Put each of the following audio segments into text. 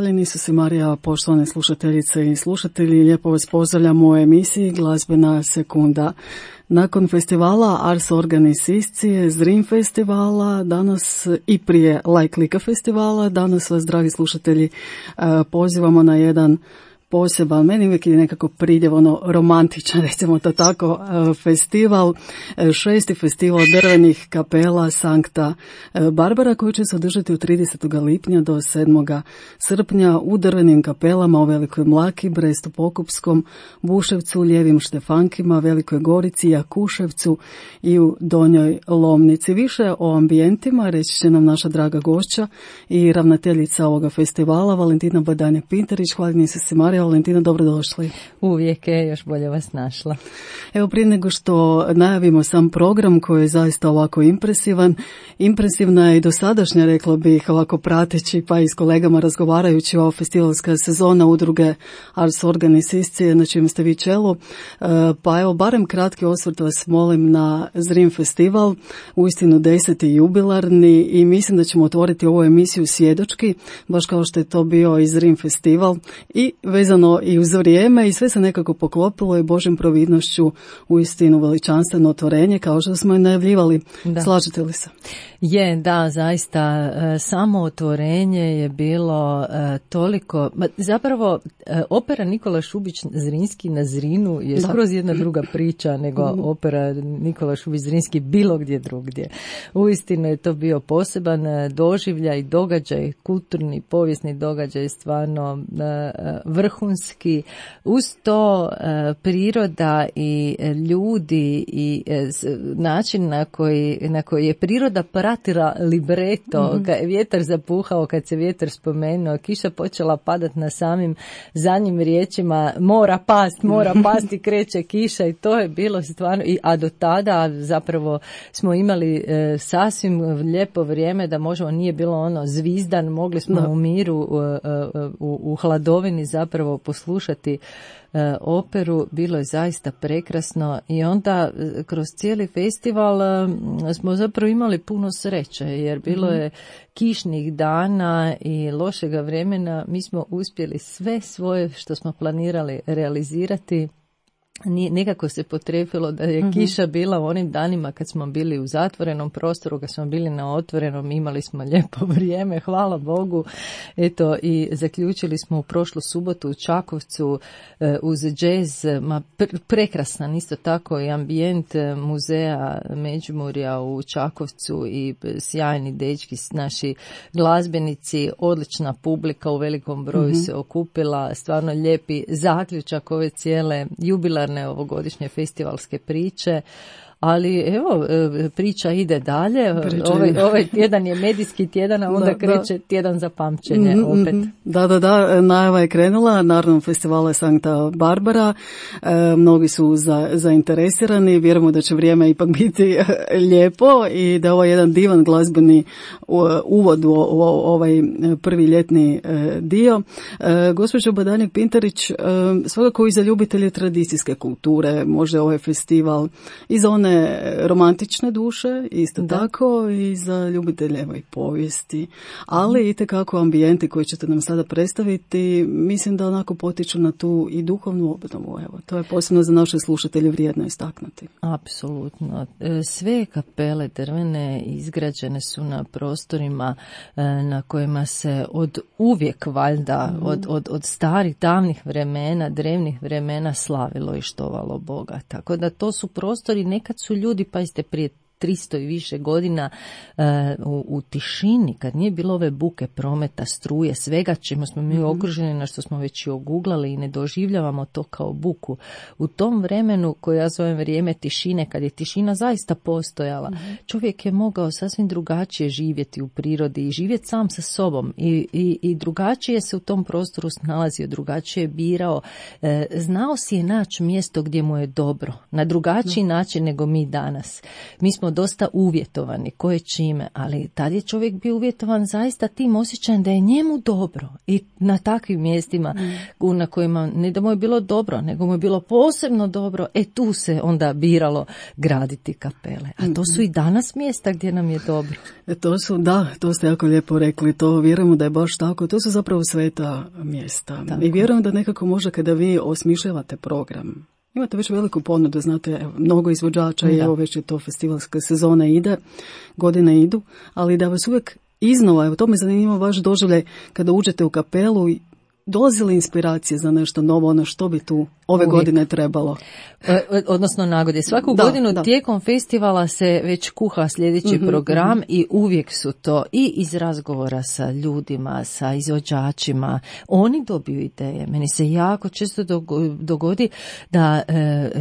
hvaljeni Isus i Marija, poštovane slušateljice i slušatelji, lijepo vas pozdravljam u emisiji Glazbena sekunda. Nakon festivala Ars Organis Iscije, Zrim festivala, danas i prije Like Lika festivala, danas vas, dragi slušatelji, pozivamo na jedan poseban, meni uvijek je nekako pridjev, romantičan, recimo to tako, festival, 6. festival drvenih kapela Sankta Barbara, koji će se održati od 30. lipnja do 7. srpnja u drvenim kapelama u Velikoj Mlaki, Brestu Pokupskom, Buševcu, Ljevim Štefankima, Velikoj Gorici, Jakuševcu i u Donjoj Lomnici. Više o ambijentima reći će nam naša draga gošća i ravnateljica ovoga festivala, Valentina Badanja-Pintarić. Hvaljeni se Marija. Valentina, dobrodošli. Uvijek je, još bolje vas našla. Evo, prije nego što najavimo sam program koji je zaista ovako impresivan, impresivna je i dosadašnja, rekla bih, ovako prateći pa i s kolegama razgovarajući o festivalska sezona udruge Ars Organis Iscije, na čijem ste vi čelu. Pa evo, barem kratki osvrt vas molim na Zrim festival, uistinu 10. jubilarni, i mislim da ćemo otvoriti ovu emisiju svjedočki, baš kao što je to bio i Zrim festival, i vezano i uz vrijeme, i sve se nekako poklopilo i Božjom providnošću uistinu veličanstveno otvorenje, kao što smo i najavljivali. Da. Slažete li se? Je, da, zaista, samo otvorenje je bilo toliko, zapravo opera Nikola Šubić Zrinski na Zrinu je skroz jedna druga priča nego opera Nikola Šubić Zrinski bilo gdje drugdje. Uistinu je to bio poseban doživljaj, događaj, kulturni, povijesni događaj, stvarno vrhunski. Uz to priroda i ljudi i način na koji je priroda pratila libreto, kad je vjetar zapuhao, kad se vjetar spomenuo, kiša počela padati na samim zadnjim riječima, mora pasti, kreće kiša, i to je bilo stvarno, a do tada zapravo smo imali sasvim lijepo vrijeme da možemo, nije bilo ono zvizdan, mogli smo u miru, u hladovini zapravo poslušati operu, bilo je zaista prekrasno, i onda kroz cijeli festival smo zapravo imali puno sreće, jer bilo je kišnih dana i lošega vremena, mi smo uspjeli sve svoje što smo planirali realizirati. Nekako se potrefilo da je kiša bila u onim danima kad smo bili u zatvorenom prostoru, kad smo bili na otvorenom, imali smo lijepo vrijeme, hvala Bogu. Eto, i zaključili smo u prošlu subotu u Čakovcu uz džez, prekrasan isto tako i ambijent muzeja Međimurja u Čakovcu, i sjajni dečki, naši glazbenici, odlična publika u velikom broju se okupila, stvarno lijepi zaključak ove cijele jubilarne ovogodišnje festivalske priče. Ali evo, priča ide dalje. Ovaj tjedan je medijski tjedan, a onda kreće tjedan za pamćenje opet. Da, najava je krenula, naravno festivala je Sankta Barbara. Mnogi su zainteresirani, vjerujemo da će vrijeme ipak biti lijepo i da je ovo jedan divan glazbeni uvod u ovaj prvi ljetni dio. Gospođo Badanja-Pintarić, svakako i za ljubitelje tradicijske kulture, možda ovaj festival i za one romantične duše, isto tako i za ljubitelje i povijesti, ali itekako ambijenti koji ćete nam sada predstaviti, mislim da onako potiču na tu i duhovnu obnovu. Evo, to je posebno za naše slušatelje vrijedno istaknuti. Apsolutno. Sve kapele drvene izgrađene su na prostorima na kojima se od uvijek valjda, od starih davnih vremena, drevnih vremena slavilo i štovalo Boga. Tako da to su prostori, nekad su ljudi, pazite, prije 300 i više godina u tišini, kad nije bilo ove buke prometa, struje, svega čemu smo mi okruženi, na što smo već i oguglali, i ne doživljavamo to kao buku. U tom vremenu, koje ja zovem vrijeme tišine, kad je tišina zaista postojala, čovjek je mogao sasvim drugačije živjeti u prirodi i živjeti sam sa sobom, i drugačije se u tom prostoru snalazio, drugačije je birao, znao si je naći mjesto gdje mu je dobro, na drugačiji način nego mi danas. Mi smo dosta uvjetovani, koje čime, ali tad je čovjek bio uvjetovan zaista tim osjećajem da je njemu dobro i na takvim mjestima na kojima ne da mu je bilo dobro, nego mu je bilo posebno dobro, tu se onda biralo graditi kapele. A to su i danas mjesta gdje nam je dobro. To ste jako lijepo rekli, to vjerujemo da je baš tako, to su zapravo sveta mjesta. Tako. I vjerujem da nekako možda kada vi osmišljavate program, imate već veliku ponudu, znate, mnogo izvođača i evo već je to festivalska sezona ide, godine idu, ali da vas uvijek iznova, evo to me zanima vaš doživljaj kada uđete u kapelu, dolazi li inspiracije za nešto novo, ono što bi tu ove godine trebalo? Odnosno nagode. Svaku godinu tijekom festivala se već kuha sljedeći program i uvijek su to i iz razgovora sa ljudima, sa izvođačima. Oni dobiju ideje. Meni se jako često dogodi da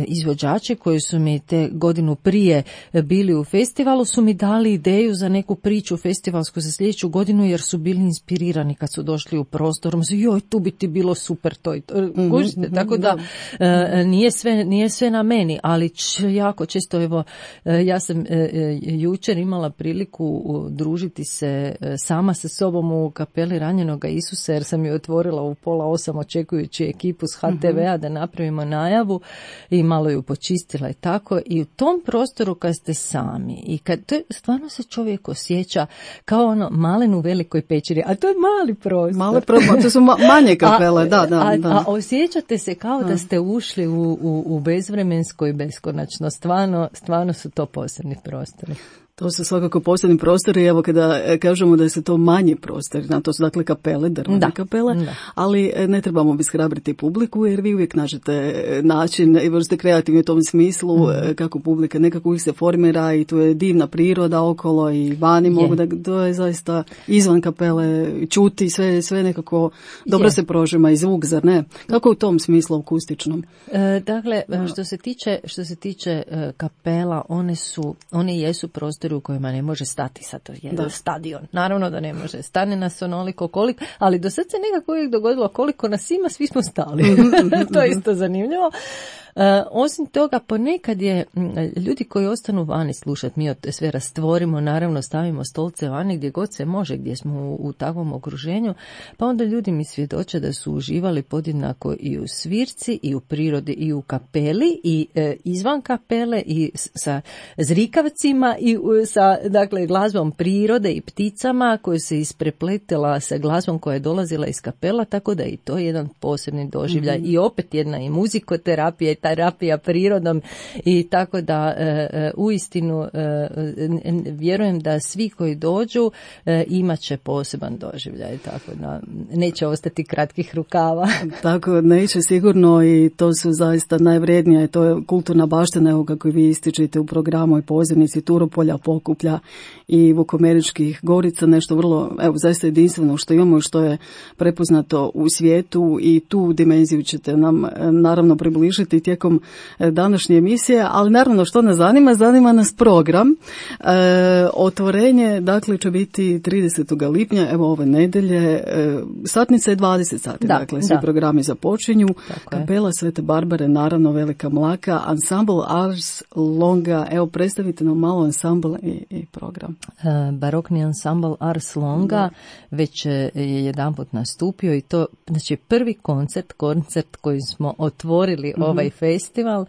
izvođači koji su mi te godinu prije bili u festivalu su mi dali ideju za neku priču festivalsku za sljedeću godinu jer su bili inspirirani kad su došli u prostor. Joj, tu bi ti bilo super to i to. Tako da nije sve na meni, ali jako često, evo, ja sam jučer imala priliku družiti se sama sa sobom u kapeli Ranjenoga Isusa, jer sam ju otvorila u 7:30 očekujući ekipu s HTV-a da napravimo najavu i malo ju počistila i tako. I u tom prostoru kad ste sami i kad to stvarno se čovjek osjeća kao ono malen u velikoj pećini, a to je mali prostor. To su manje kapele, a osjećate se kao da ste ušli u bezvremensko i beskonačno. Stvarno su to posebni prostori. To su svakako posebni prostori, evo kada kažemo da se to manji prostori, to su dakle kapele, drvene kapele, ali ne trebamo obeshrabriti publiku jer vi uvijek nađete način i vrste kreativni u tom smislu kako publika nekako uvijek se formira i tu je divna priroda okolo i vani mogu da to je zaista izvan kapele čuti, sve nekako dobro se prožima i zvuk, zar ne? Kako u tom smislu akustičnom? Dakle, što se tiče kapela, one jesu prostori u kojima ne može stati sad jedan stadion. Naravno da ne može. Stane nas onoliko koliko, ali do sad se nekako uvijek dogodilo koliko nas ima, svi smo stali. To je isto zanimljivo. Osim toga, ponekad je ljudi koji ostanu vani slušati, mi sve rastvorimo, naravno stavimo stolce vani gdje god se može, gdje smo u takvom okruženju, pa onda ljudi mi svjedoče da su uživali podjednako i u svirci, i u prirodi, i u kapeli, i izvan kapele, i sa zrikavcima, i sa dakle, glazbom prirode i pticama koje se isprepletela sa glazbom koja je dolazila iz kapela, tako da i to je jedan posebni doživljaj i opet jedna i muzikoterapija i terapija prirodom i tako da uistinu vjerujem da svi koji dođu imat će poseban doživljaj, tako da neće ostati kratkih rukava. Tako, neće sigurno i to su zaista najvrednije, to je kulturna baština, evo kako vi ističete u programu i pozivnici Turopolja, Pokuplja i Vukomeričkih Gorica, nešto vrlo, evo, zaista jedinstveno što imamo i što je prepoznato u svijetu i tu dimenziju ćete nam naravno približiti tijekom današnje emisije, ali naravno što nas zanima nas program. Otvorenje, dakle, će biti 30. lipnja, evo ove nedelje, satnica je 20 sati, dakle, svi programi započinju. Kapela Svete Barbare, naravno Velika Mlaka, ansambl Ars Longa, evo predstavite nam malo ansambl i program. Barokni ansambl Ars Longa već je jedanput nastupio i to, znači prvi koncert koji smo otvorili ovaj festival,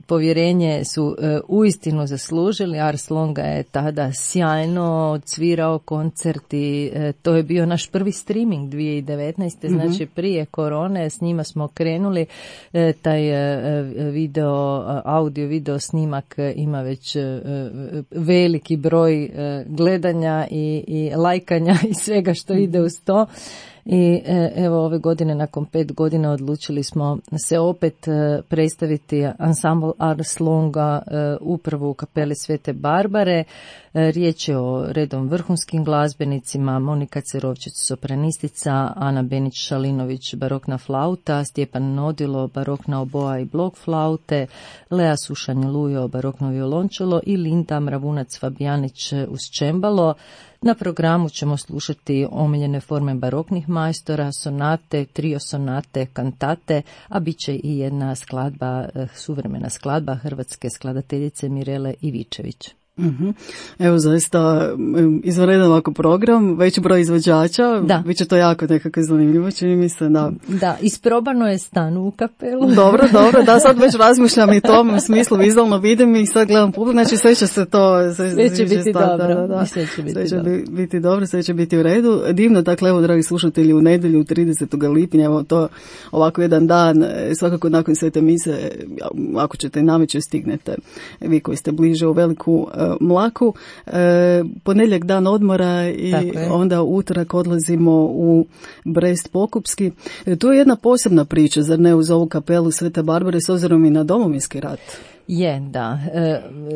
povjerenje su uistinu zaslužili. Ars Longa je tada sjajno odsvirao koncert i to je bio naš prvi streaming 2019. Znači prije korone, s njima smo krenuli, taj audio video snimak ima već veliki broj gledanja i lajkanja i svega što ide uz to. I evo ove godine, nakon 5 godina, odlučili smo se opet predstaviti ansambl Ars Longa upravo u kapeli Svete Barbare. Riječ je o redom vrhunskim glazbenicima: Monika Cerovčić, sopranistica, Ana Benić-Šalinović, barokna flauta, Stjepan Nodilo, barokna oboa i blok flaute, Lea Sušanj-Lujo, barokno violončelo i Linda Mravunac Fabijanić uz čembalo. Na programu ćemo slušati omiljene forme baroknih majstora, sonate, trio sonate, kantate, a bit će i jedna skladba, suvremena skladba hrvatske skladateljice Mirele Ivičević. Evo, zaista izvanredan ovako program, veći broj izvođača, bit će to jako nekako zanimljivo, čini mi se. Da, isprobano je stan u kapelu. Dobro, da, sad već razmišljam i tom u smislu, vizualno vidim i sad gledam publiku, znači sve će se to... Sve će biti dobro. Sve će biti u redu. Divno, dakle, evo, dragi slušatelji, u nedjelju 30. lipnja, evo to ovako jedan dan, svakako nakon svete mise, ako ćete nameće stignete, vi koji ste bliže u Veliku Mlaku, ponedjeljak dan odmora i onda utorak odlazimo u Brest Pokupski. Tu je jedna posebna priča, zar ne, uz ovu kapelu Svete Barbare s obzirom i na Domovinski rat? Je, da.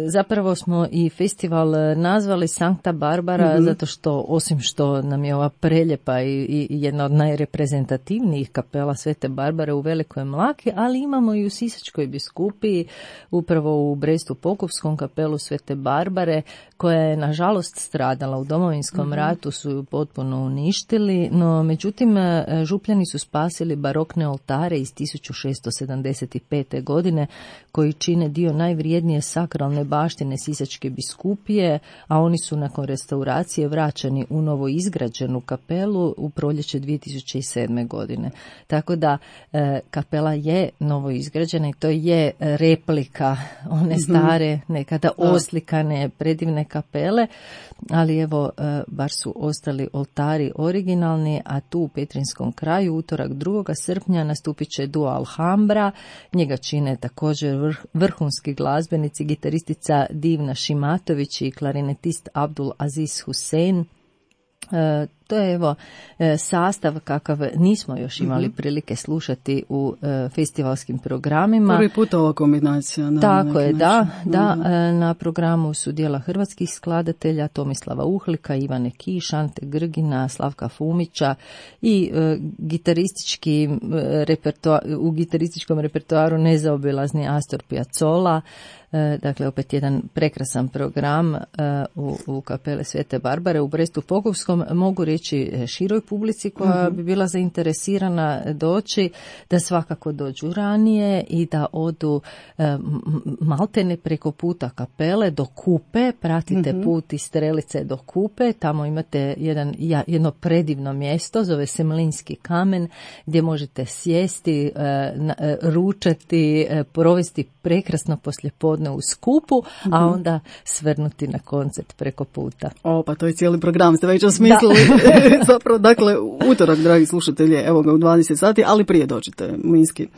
Zapravo smo i festival nazvali Sankta Barbara zato što, osim što nam je ova preljepa i jedna od najreprezentativnijih kapela Svete Barbare u Velikoj Mlaki, ali imamo i u Sisačkoj biskupiji, upravo u Brestu Pokupskom kapelu Svete Barbare, koja je nažalost stradala u Domovinskom ratu, su ju potpuno uništili, no međutim župljani su spasili barokne oltare iz 1675. godine koji čine dio najvrijednije sakralne baštine Sisačke biskupije, a oni su nakon restauracije vraćani u novo izgrađenu kapelu u proljeće 2007. godine. Tako da kapela je novo izgrađena i to je replika one stare, nekada oslikane, predivne kapele, ali evo, bar su ostali oltari originalni, a tu u Petrinskom kraju utorak 2. srpnja nastupit će duo Alhambra, njega čine također vrhunski glazbenici, gitaristica Divna Šimatović i klarinetist Abdul Aziz Hussein. To je evo sastav kakav nismo još imali prilike slušati u festivalskim programima. Prvi put ova kombinacija. Tako je, da. Na programu su dijela hrvatskih skladatelja Tomislava Uhlika, Ivane Kiš, Ante Grgina, Slavka Fumića i u gitarističkom repertoaru nezaobilazni Astor Piazzolla. Dakle, opet jedan prekrasan program u kapele Svete Barbare u Brestu Pokupskom. Mogu reći široj publici koja bi bila zainteresirana doći, da svakako dođu ranije i da odu maltene preko puta kapele do Kupe, pratite put iz Strelice do Kupe, tamo imate jedno predivno mjesto, zove se Mlinski kamen, gdje možete sjesti, ručati, provesti prekrasno poslijepodne u skupu, a onda svrnuti na koncert preko puta. Pa to je cijeli program, ste već osmislili. Zapravo, dakle, utorak, dragi slušatelji, evo ga u 20 sati, ali prije dođete, Mlinski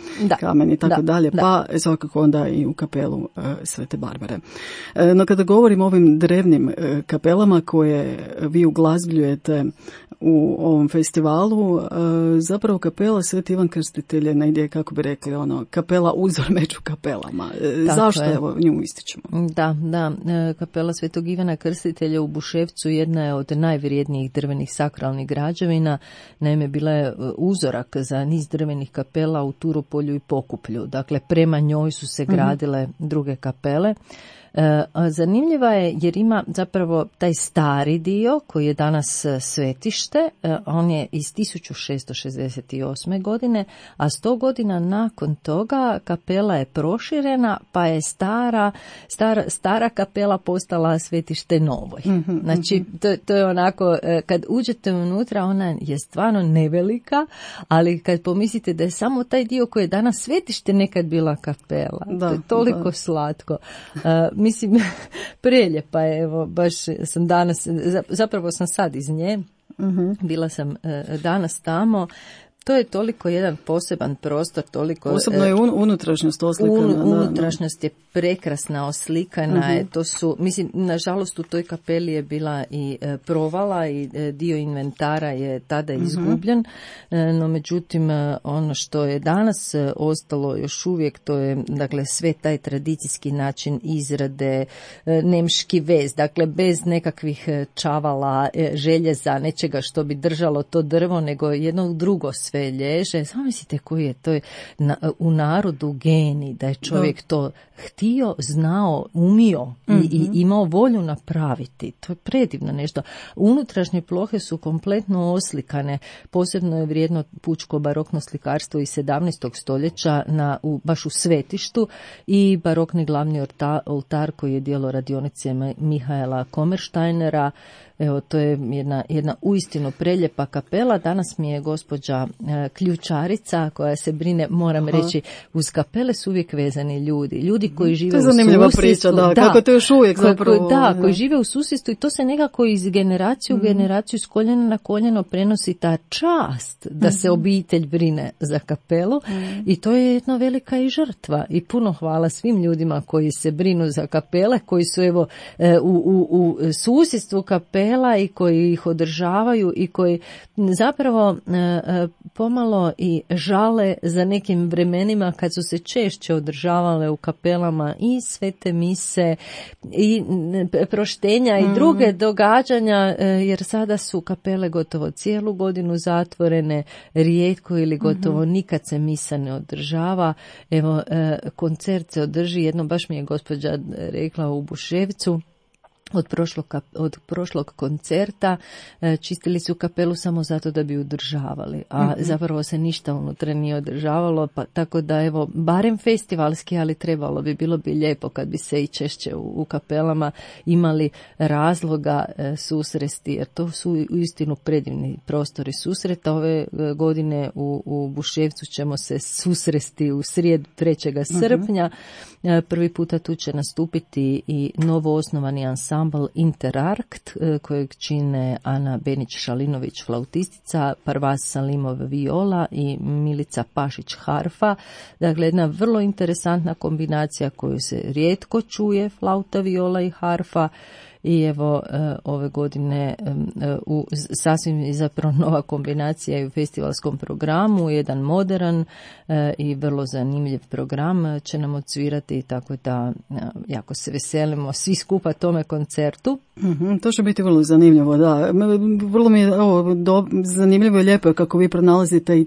kamen i tako dalje, pa svakako onda i u kapelu Svete Barbare. No kada govorim o ovim drevnim kapelama koje vi uglazbljujete u ovom festivalu, zapravo kapela Sveti Ivan Krstitelj je negdje, kako bi rekli, kapela uzor među kapelama. Zašto evo nju ističemo? Da, kapela Svetog Ivana Krstitelja u Buševcu jedna je od najvrijednijih drvenih sakralnih građevina. Naime, bila je uzorak za niz drvenih kapela u Turopolju i Pokuplju. Dakle, prema njoj su se gradile druge kapele. Zanimljiva je jer ima zapravo taj stari dio koji je danas svetište, on je iz 1668. godine, a 100 godina nakon toga kapela je proširena, pa je stara kapela postala svetište novoj. Znači, to je onako, kad uđete unutra, ona je stvarno nevelika, ali kad pomislite da je samo taj dio koji je danas svetište nekad bila kapela, to je toliko slatko. Mislim, preljepa je, evo, baš sam danas, zapravo sam sad iz nje, bila sam danas tamo. To je toliko jedan poseban prostor, toliko... Posebno je unutrašnjost oslikana. Unutrašnjost je prekrasna, oslikana je, to su, mislim, nažalost u toj kapeli je bila i provala i dio inventara je tada izgubljen, no međutim ono što je danas ostalo još uvijek, to je, dakle, sve taj tradicijski način izrade, nemški vez, dakle, bez nekakvih čavala, željeza, nečega što bi držalo to drvo, nego jedno drugo sve lježe. Samo mislite koji je to u narodu geni, da je čovjek to htio, znao, umio i imao volju napraviti. To je predivno nešto. Unutrašnje plohe su kompletno oslikane. Posebno je vrijedno pučko barokno slikarstvo iz 17. stoljeća baš u svetištu i barokni glavni oltar koji je djelo radionice Mihaela Komerštajnera. Evo, to je jedna uistinu preljepa kapela. Danas mi je gospođa ključarica koja se brine, moram reći, uz kapele su uvijek vezani ljudi koji žive u susjedstvu. To je zanimljiva priča, kako to još uvijek zapravo. Koji žive u susjedstvu i to se nekako iz generacije u generaciju, s koljena na koljeno prenosi ta čast da se obitelj brine za kapelu i to je jedna velika i žrtva. I puno hvala svim ljudima koji se brinu za kapele, koji su evo u susjedstvu kapela i koji ih održavaju i koji zapravo pomalo i žale za nekim vremenima kad su se češće održavale u kapelama i svete mise i proštenja i druge događanja, jer sada su kapele gotovo cijelu godinu zatvorene, rijetko ili gotovo nikad se misa ne održava. Evo, koncert se održi, jedno baš mi je gospođa rekla u Buševcu, od prošlog koncerta čistili su kapelu samo zato da bi održavali, a zapravo se ništa unutra nije održavalo, pa tako da evo, barem festivalski, ali bilo bi lijepo kad bi se i češće u kapelama imali razloga susresti, jer to su uistinu predivni prostori susreta. Ove godine u Buševcu ćemo se susresti u srijedu 3. srpnja. Prvi puta tu će nastupiti i novo osnovani ansambl Interarkt, kojeg čine Ana Benić-Šalinović flautistica, Parvaz Salimov viola i Milica Pašić harfa. Dakle, jedna vrlo interesantna kombinacija koju se rijetko čuje, flauta, viola i harfa. I evo, ove godine sasvim zapravo nova kombinacija u festivalskom programu, jedan modern i vrlo zanimljiv program će nam odsvirati, tako da jako se veselimo svi skupa tome koncertu. To će biti vrlo zanimljivo, da. Vrlo mi je zanimljivo i lijepo kako vi pronalazite i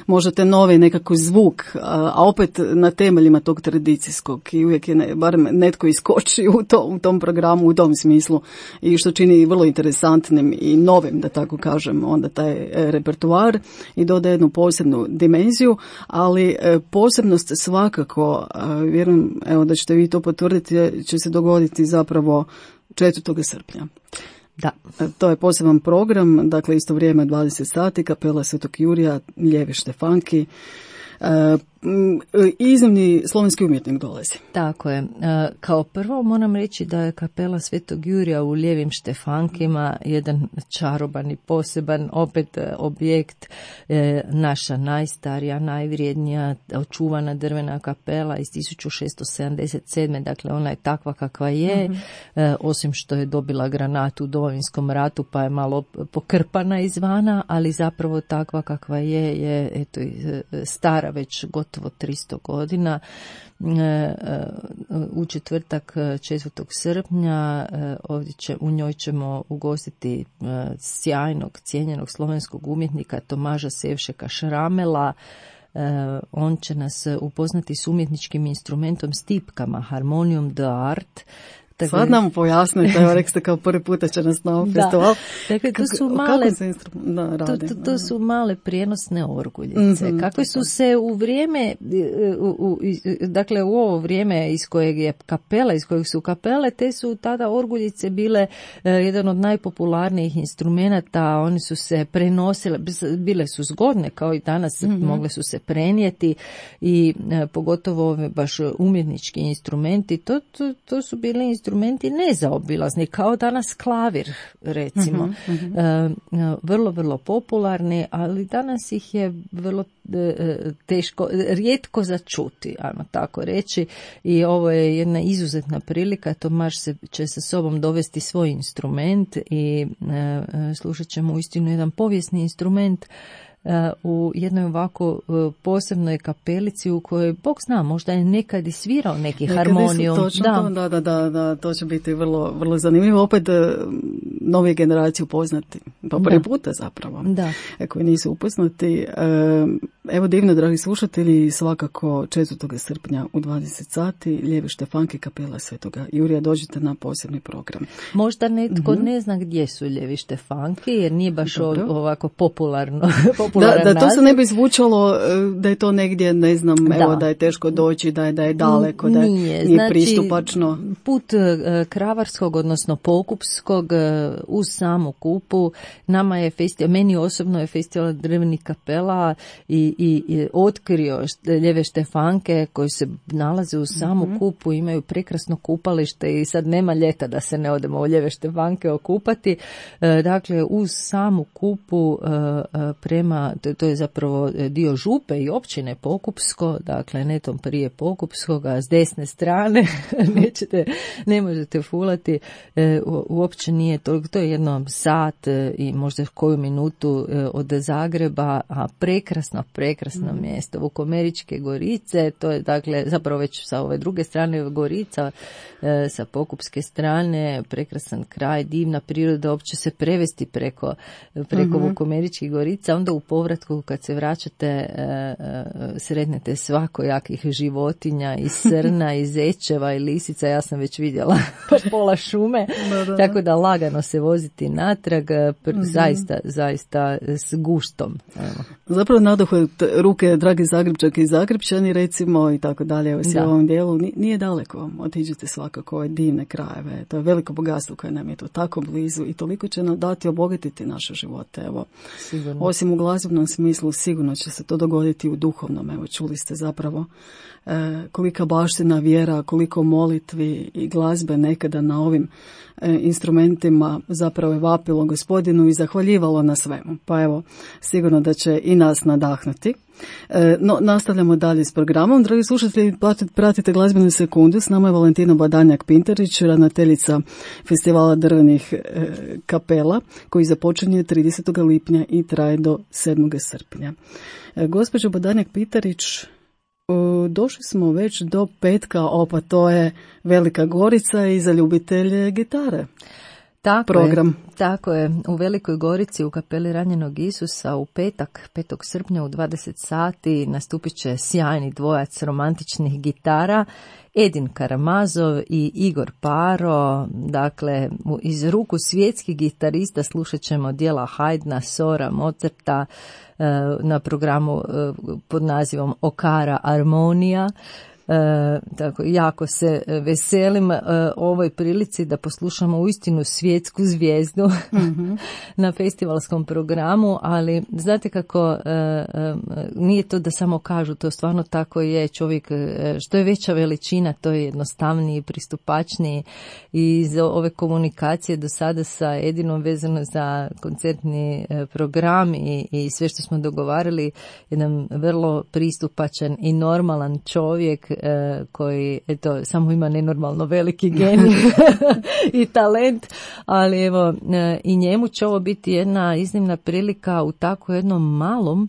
možete novi nekako zvuk, a opet na temeljima tog tradicijskog i uvijek je barem netko iskoči u tom programu, u tom smislu, i što čini vrlo interesantnim i novim, da tako kažem, onda taj repertoar i dodaje jednu posebnu dimenziju, ali posebnost svakako, vjerujem da ćete vi to potvrditi, će se dogoditi zapravo 4. srpnja. Da. To je poseban program, dakle isto vrijeme 20 sati, kapela Svetog Jurija, Ljevi Štefanki. Iznimni slovenski umjetnik dolazi. Tako je. Kao prvo moram reći da je kapela Svetog Jurija u Lijevim Štefankima jedan čaroban i poseban opet objekt, naša najstarija, najvrijednija očuvana drvena kapela iz 1677. Dakle, ona je takva kakva je, osim što je dobila granatu u Domovinskom ratu pa je malo pokrpana izvana, ali zapravo takva kakva je eto, stara već gotovo 300 godina. U četvrtak 4. srpnja ovdje u njoj ćemo ugostiti sjajnog, cijenjenog slovenskog umjetnika Tomaža Sevšeka Šramela. On će nas upoznati s umjetničkim instrumentom stipkama, harmonijom de art. Sad nam pojasnite, evo rekste kao prvi puta će nas na ovom festivalu. Dakle, to su male prijenosne orguljice. Kakve su se u vrijeme, dakle u ovo vrijeme iz kojeg su kapele, te su tada orguljice bile jedan od najpopularnijih instrumenata. One su se prenosile, bile su zgodne kao i danas, mogle su se prenijeti i pogotovo ove baš umjetnički instrumenti. To su bili instrumenti nezaobilazni, kao danas klavir, recimo. Vrlo, vrlo popularni, ali danas ih je vrlo teško, rijetko začuti, ajmo tako reći, i ovo je jedna izuzetna prilika. Tomaž će sa sobom dovesti svoj instrument i slušat ćemo uistinu jedan povijesni instrument u jednoj ovako posebnoj kapelici u kojoj, Bog zna, možda je nekad i svirao neki harmonijum. Točno da, to će biti vrlo, vrlo zanimljivo. Opet nove generacije upoznati, pa prvi puta zapravo, koji nisu upoznati. Evo divno, dragi slušatelji, svakako 4. srpnja u 20 sati Ljevi Štefanke, kapela Svetoga Jurija, dođite na posebni program. Možda netko ne zna gdje su Ljevi Štefanke, jer nije baš ovako popularan da to se ne bi zvučalo da je to negdje, ne znam, evo da je teško doći, da je daleko, da nije znači, pristupačno. Put kravarskog, odnosno pokupskog uz samu Kupu, nama je meni osobno je festival drvenih kapela i otkrio Ljeve Štefanke koji se nalaze uz samu Kupu, imaju prekrasno kupalište i sad nema ljeta da se ne odemo u Ljeve Štefanke okupati. Dakle, uz samu Kupu prema, to je zapravo dio župe i općine Pokupsko, dakle netom prije Pokupskoga, s desne strane ne možete fulati, uopće nije toliko, to je jedno sat i možda koju minutu od Zagreba, a prekrasno mjesto, Vukomeričke Gorice, to je dakle zapravo već sa ove druge strane Gorica, sa Pokupske strane, prekrasan kraj, divna priroda, uopće se prevesti preko Vukomeričkih Gorica, onda u povratku kad se vraćate sretnete svakojakih životinja i srna i zečeva i lisica, ja sam već vidjela pola šume, tako da lagano se voziti natrag, zaista s guštom. Evo. Zapravo nadohvat ruke, dragi Zagrepčanke i Zagrepčani, recimo, i tako dalje, evo u ovom dijelu, nije daleko, otiđite svakako ove divne krajeve, to je veliko bogatstvo koje nam je to tako blizu i toliko će nam dati obogatiti naše živote, evo. Sigurno. Osim u glazbenom smislu, sigurno će se to dogoditi u duhovnom, evo, čuli ste zapravo kolika baština vjera, koliko molitvi i glazbe nekada na ovim instrumentima zapravo je vapilo Gospodinu i zahvaljivalo na svemu. Pa evo, sigurno da će i nas nadahnuti. No, nastavljamo dalje s programom. Dragi slušatelji, pratite Glazbenu sekundu. S nama je Valentina Badanjak-Pintarić, ravnateljica festivala drvenih kapela, koji započinje 30. lipnja i traje do 7. srpnja. Gospođo Badanjak-Pintarić, došli smo već do petka, pa to je Velika Gorica i za ljubitelje gitare. Tako je. U Velikoj Gorici u kapeli Ranjenog Isusa u petak, 5. srpnja u 20 sati nastupit će sjajni dvojac romantičnih gitara, Edin Karamazov i Igor Paro. Dakle, iz ruku svjetskih gitarista slušat ćemo dijela Haydna, Sora, Mozarta na programu pod nazivom Okara Armonija. Tako, jako se veselim ovoj prilici da poslušamo uistinu svjetsku zvijezdu na festivalskom programu, ali znate kako nije to da samo kažu, to stvarno tako je. Čovjek, što je veća veličina, to je jednostavniji, pristupačniji, i iz ove komunikacije do sada sa Edinom vezano za koncertni program i sve što smo dogovarali, jedan vrlo pristupačan i normalan čovjek koji samo ima nenormalno veliki genij i talent, ali evo i njemu će ovo biti jedna iznimna prilika u tako jednom malom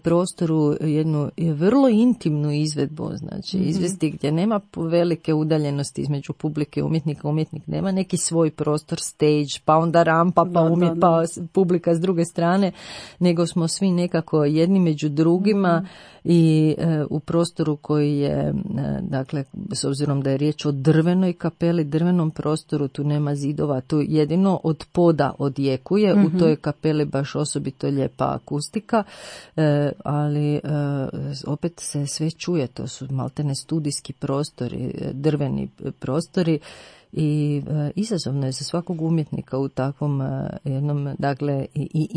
prostoru, jednu vrlo intimnu izvedbu, znači izvesti gdje nema velike udaljenosti između publike, umjetnik nema neki svoj prostor, stage, pa onda rampa, pa publika s druge strane, nego smo svi nekako jedni među drugima i u prostoru koji je, dakle, s obzirom da je riječ o drvenoj kapeli, drvenom prostoru, tu nema zidova, tu jedino od poda odjekuje, u toj kapeli baš osobito lijepa akustika, ali opet se sve čuje, to su maltene studijski prostori, drveni prostori, i izazovno je za svakog umjetnika u takvom jednom, dakle, i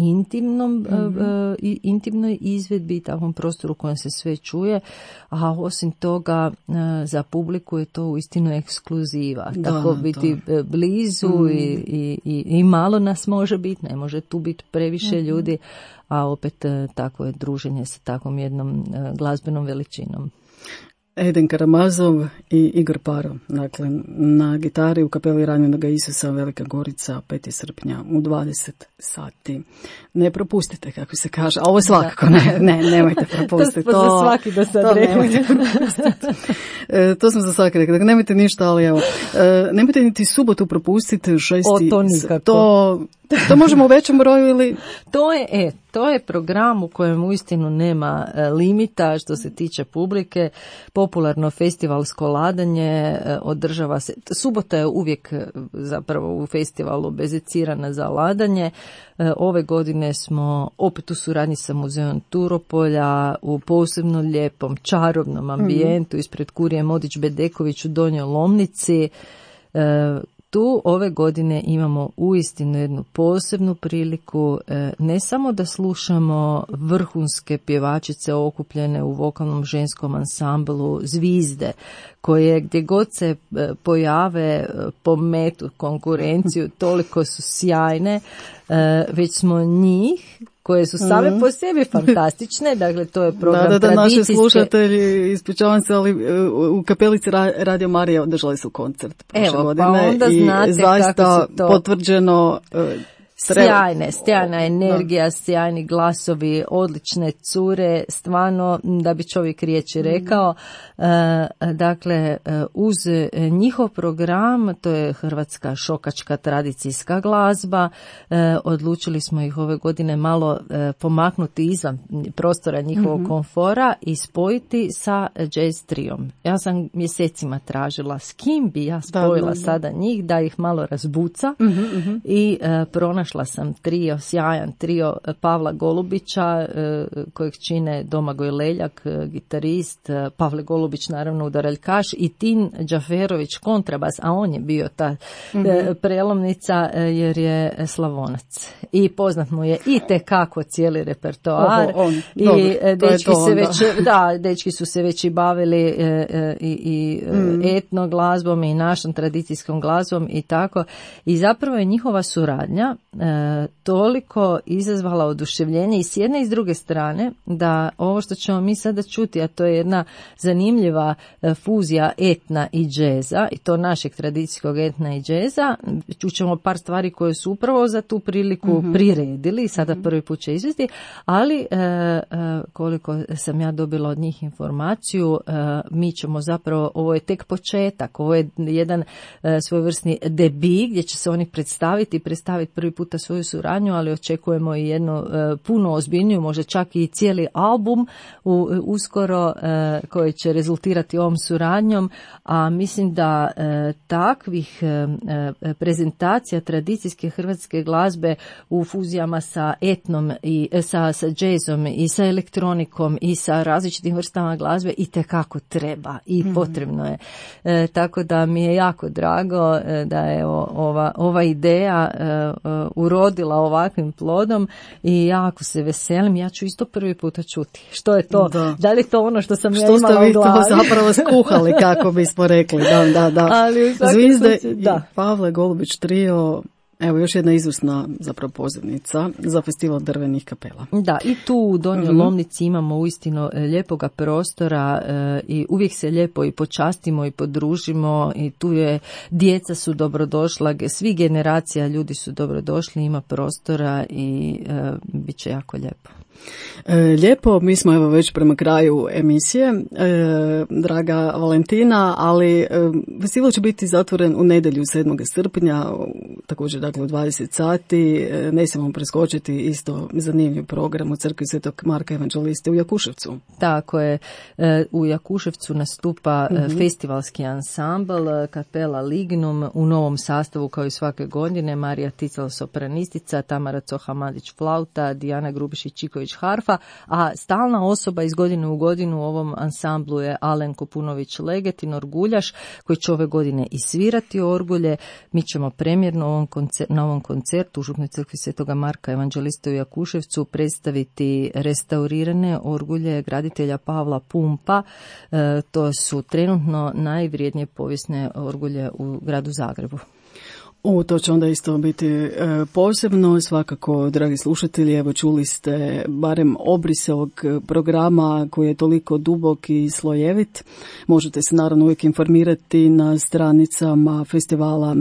intimnoj izvedbi, takvom prostoru u kojem se sve čuje, a osim toga za publiku je to uistinu ekskluziva. Tako biti blizu i malo nas može biti, ne može tu biti previše ljudi, a opet takvo je druženje sa takvom jednom glazbenom veličinom. Eden Karamazov i Igor Paro. Dakle, na gitari u kapeli Ranjenoga Isusa Velika Gorica 5. srpnja u 20 sati. Ne propustite, kako se kaže. A ovo svakako nemojte propustiti. To za svaki da sad nemojte propustiti. To sam za svaki rekla. Dakle, nemojte ništa, ali evo. Nemojte niti subotu propustiti 6. To nikako. To možemo u većem broju ili... To je program u kojem uistinu nema limita što se tiče publike. Popularno festivalsko ladanje održava se. Subota je uvijek zapravo u festivalu bezicirana za ladanje. Ove godine smo opet u suradnji sa muzeom Turopolja u posebno lijepom, čarobnom ambijentu ispred Kurije Modić-Bedeković u Donjoj Lomnici. Tu ove godine imamo uistinu jednu posebnu priliku, ne samo da slušamo vrhunske pjevačice okupljene u vokalnom ženskom ansamblu Zvizde, koje gdje god se pojave pometu konkurenciju, toliko su sjajne, već smo njih koje su same po sebi fantastične, dakle to je program tradicijske... naši slušatelji, ispričavam se, ali u kapelici Radio Marija održali su koncert prošle godine. Pa onda znate i zaista kako su to... potvrđeno... Sjajna energija, sjajni glasovi, odlične cure, stvarno da bi čovjek riječi rekao. Dakle, uz njihov program, to je hrvatska šokačka tradicijska glazba, odlučili smo ih ove godine malo pomaknuti izvan prostora njihovog komfora i spojiti sa jazz trijom. Ja sam mjesecima tražila s kim bi ja spojila sada njih, da ih malo razbuca i pronašla sam sjajan trio Pavla Golubića, kojeg čine Domagoj Leljak, gitarist, Pavle Golubić naravno udaraljkaš i Tin Džaferović kontrabas, a on je bio ta prelomnica jer je Slavonac. I poznat mu je i tekako cijeli repertoar. Dečki su se već i bavili i etno glazbom i našom tradicijskom glazbom i tako. I zapravo je njihova suradnja toliko izazvala oduševljenje i s jedne i s druge strane da ovo što ćemo mi sada čuti, a to je jedna zanimljiva fuzija etna i džeza, i to našeg tradicijskog etna i džeza, čućemo par stvari koje su upravo za tu priliku priredili i sada prvi put će izvesti, ali koliko sam ja dobila od njih informaciju, mi ćemo zapravo, ovo je tek početak, ovo je jedan svojevrsni debi gdje će se oni predstaviti prvi puta svoju suradnju, ali očekujemo i jednu puno ozbiljniju, možda čak i cijeli album uskoro koji će rezultirati ovom suradnjom, a mislim da takvih prezentacija tradicijske hrvatske glazbe u fuzijama sa etnom i sa džezom i sa elektronikom i sa različitim vrstama glazbe i tekako treba i potrebno je. Tako da mi je jako drago da je ova ideja urodila ovakvim plodom i jako se veselim. Ja ću isto prvi puta čuti. Što je to? Da li je to ono što sam ja imala u glavi? Što ste vi to zapravo skuhali, kako bismo rekli. Da. Ali Zvizde i Pavle Golubić trio, evo još jedna izvrsna zapravo pozivnica za festival drvenih kapela. Da, i tu u Donjoj Lomnici imamo uistinu lijepoga prostora i uvijek se lijepo i počastimo i podružimo i tu je, djeca su dobrodošla, svi generacija ljudi su dobrodošli, ima prostora i bit će jako lijepo. Lijepo, mi smo evo već prema kraju emisije, draga Valentina, ali festival će biti zatvoren u nedjelju 7. srpnja, također dakle u 20 sati, ne smijemo preskočiti isto zanimljiv program u crkvi Svetog Marka Evanđeliste u Jakuševcu. Tako je, u Jakuševcu nastupa festivalski ansambl Kapela Lignum u novom sastavu kao i svake godine, Marija Tical sopranistica, Tamara Coha-Madić flauta, Dijana Grubišić-Čiković harfa, a stalna osoba iz godine u godinu u ovom ansamblu je Alen Kopunović-Leget i Norguljaš, koji će ove godine i svirati orgulje. Mi ćemo premjerno na ovom koncertu u Župnoj crkvi Svetoga Marka Evanđeliste u Jakuševcu predstaviti restaurirane orgulje graditelja Pavla Pumpa. To su trenutno najvrijednije povijesne orgulje u gradu Zagrebu. To će onda isto biti posebno. Svakako, dragi slušatelji, evo čuli ste barem obrise ovog programa koji je toliko dubok i slojevit. Možete se naravno uvijek informirati na stranicama festivala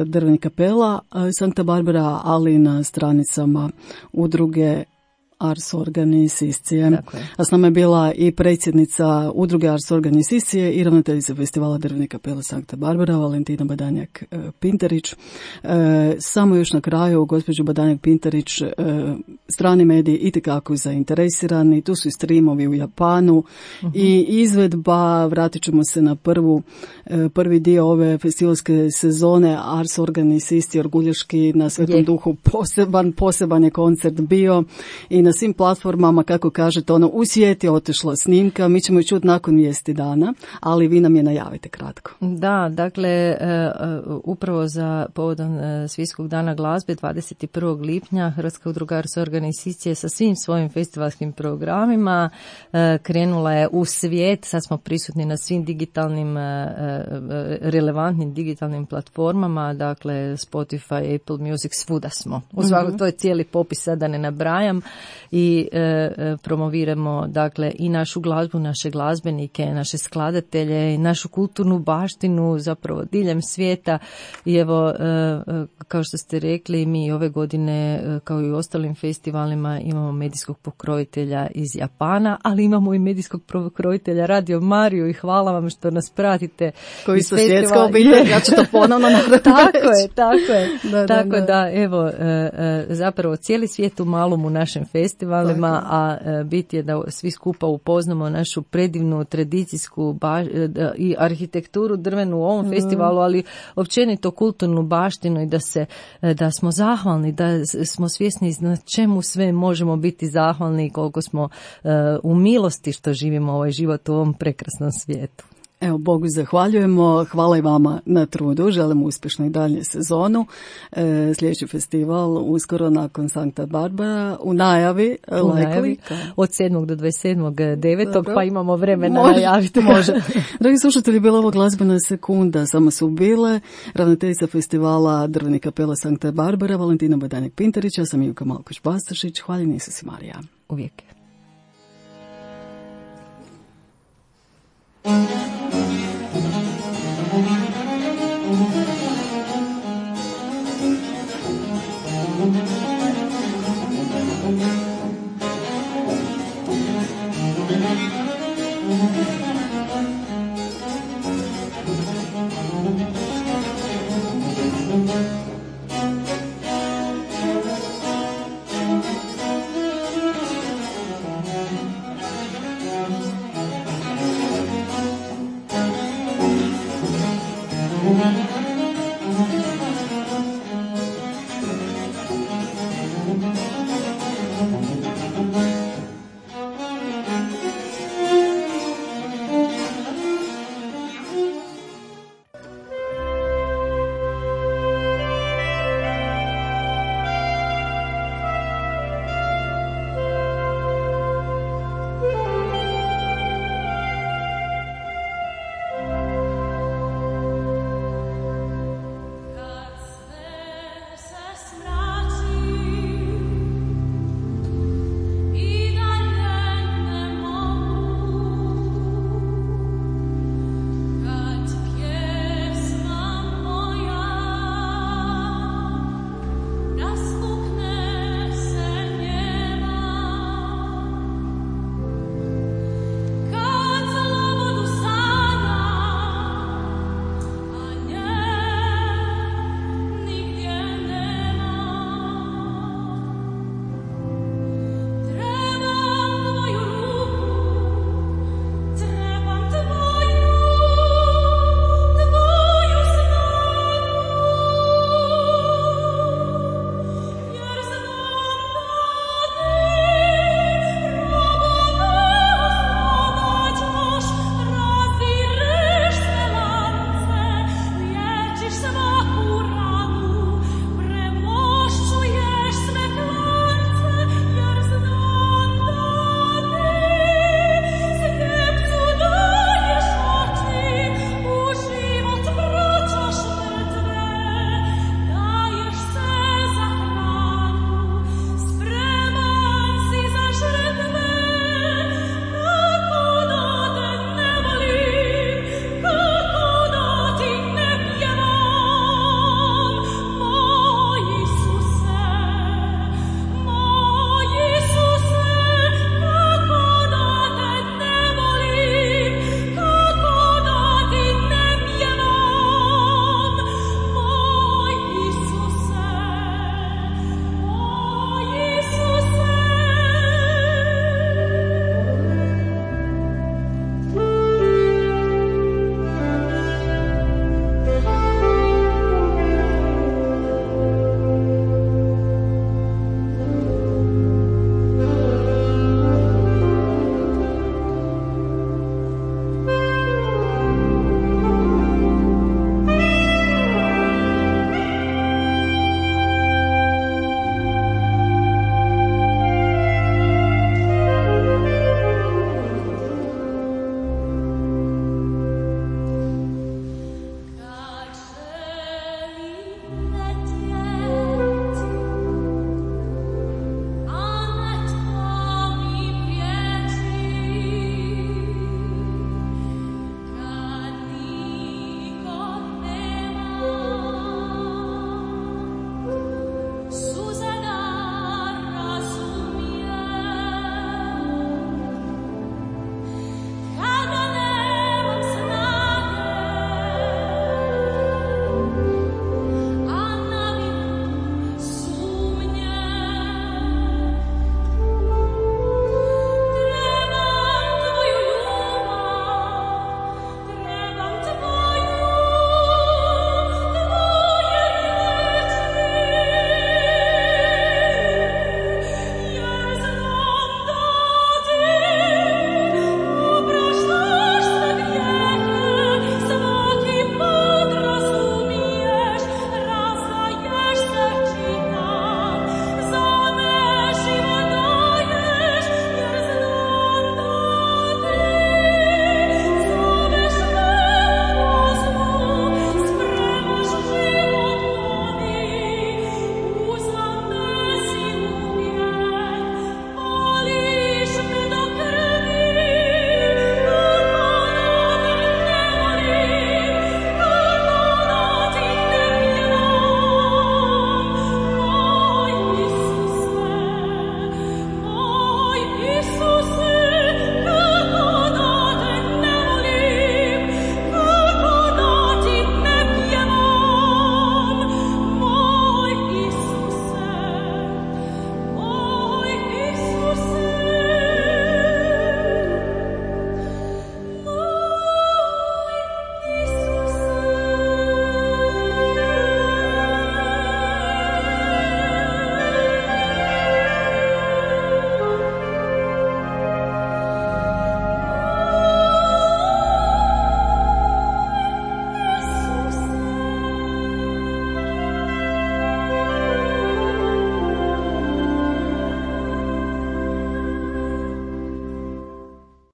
Drvenih kapela Sankta Barbara, ali i na stranicama udruge Ars Organis Iscije. A s nama je bila i predsjednica udruge Ars Organis Iscije i ravnateljica festivala Drvenih kapela Sankta Barbara, Valentina Badanjak-Pintarić. Samo još na kraju, gospođo Badanjak-Pintarić, strani mediji itekako zainteresirani, tu su i streamovi u Japanu i izvedba, vratit ćemo se na prvi dio ove festivalske sezone, Ars Organis Iscije, orguljaški na Svetom Duhu, poseban je koncert bio i na svim platformama, kako kažete, u svijet je otišla snimka, mi ćemo ju čuti nakon vijesti dana, ali vi nam je najavite kratko. Da, dakle, upravo za povodom Svjetskog dana glazbe 21. lipnja Hrvatska udruga Ars Organis Iscije sa svim svojim festivalskim programima krenula je u svijet, sad smo prisutni na svim digitalnim, relevantnim digitalnim platformama, dakle Spotify, Apple Music, svuda smo. U svakom, to je cijeli popis, sad da ne nabrajam. I promoviramo dakle i našu glazbu, naše glazbenike, naše skladatelje i našu kulturnu baštinu zapravo diljem svijeta. I evo, kao što ste rekli, mi ove godine kao i u ostalim festivalima imamo medijskog pokrovitelja iz Japana, ali imamo i medijskog pokrovitelja Radio Mariju i hvala vam što nas pratite. Koji su svjetska obitelj, ja ću to ponovno Tako je. Tako da, evo, zapravo cijeli svijet u malom u našem festivalima, a bit je da svi skupa upoznamo našu predivnu tradicijsku i arhitekturu drvenu u ovom festivalu, ali općenito kulturnu baštinu i da smo zahvalni, da smo svjesni na čemu sve možemo biti zahvalni i koliko smo u milosti što živimo ovaj život u ovom prekrasnom svijetu. Evo, Bogu zahvaljujemo, hvala i vama na trudu, želimo uspješnu i dalje sezonu. Sljedeći festival uskoro nakon Sankta Barbara u najavi. Od 7. do 27.9. pa imamo vremena najaviti. Može. Dragi slušatelji, bila ovo glazbena sekunda, samo su bile ravnateljica festivala Drvenih kapela Sankta Barbara, Valentina Badanjak-Pintarić, ja sam Ivka Malković-Bastašić, hvala Isus i Marija. Uvijek.